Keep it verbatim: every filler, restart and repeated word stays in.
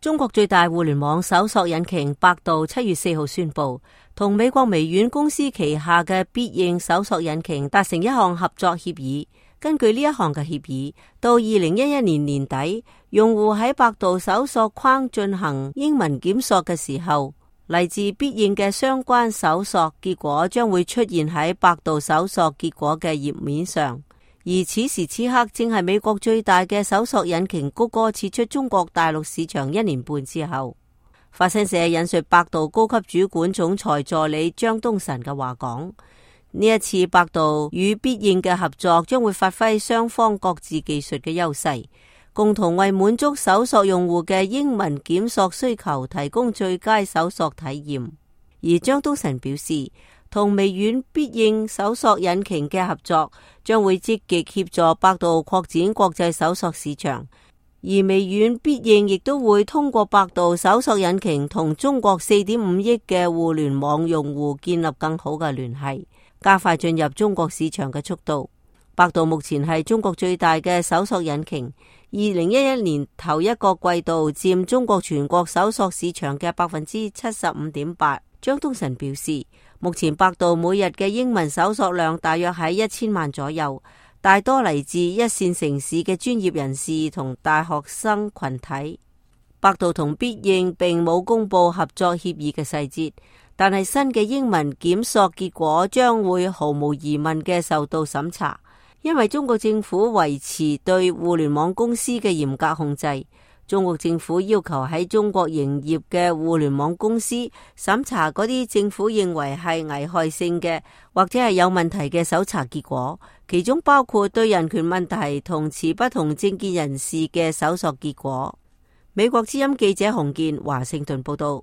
中國最大互聯網搜索引擎百度七月四號宣布，同美國微軟公司旗下嘅必應搜索引擎達成一項合作協議。根據呢一項嘅協議，到二零一一年年底，用戶喺百度搜索框進行英文檢索嘅時候，嚟自必應嘅相關搜索結果將會出現喺百度搜索結果嘅頁面上。而此時此刻正係美國最大嘅搜索引擎谷歌撤出中國大陸市場一年半之後。法新社引述百度高級主管總裁助理張東晨嘅話講，呢一次百度與必應嘅合作將會發揮雙方各自技術嘅優勢，共同為滿足搜索用戶嘅英文檢索需求提供最佳搜索體驗。而張東晨表示，同微軟必應搜索引擎嘅合作將會積極協助百度擴展國際搜索市場，而微軟必應亦都會通過百度搜索引擎同中國四點五億嘅互聯網用戶建立更好嘅聯繫，加快進入中國市場嘅速度。百度目前係中國最大嘅搜索引擎，二零一一年頭一個季度佔中國全國搜索市場嘅百分之七十五點八。張東晨表示，目前百度每日嘅英文搜索量大約喺一千萬左右，大多嚟自一線城市嘅專業人士同大學生群體。百度同必應並冇公布合作協議嘅細節，但係新嘅英文檢索結果將會毫無疑問嘅受到審查，因為中國政府維持對互聯網公司嘅嚴格控制。中國政府要求喺中國營業嘅互聯網公司審查嗰啲政府認為係危害性嘅或者係有問題嘅搜查結果，其中包括對人權問題同持不同政見人士嘅搜索結果。美國之音記者洪建華盛頓報道。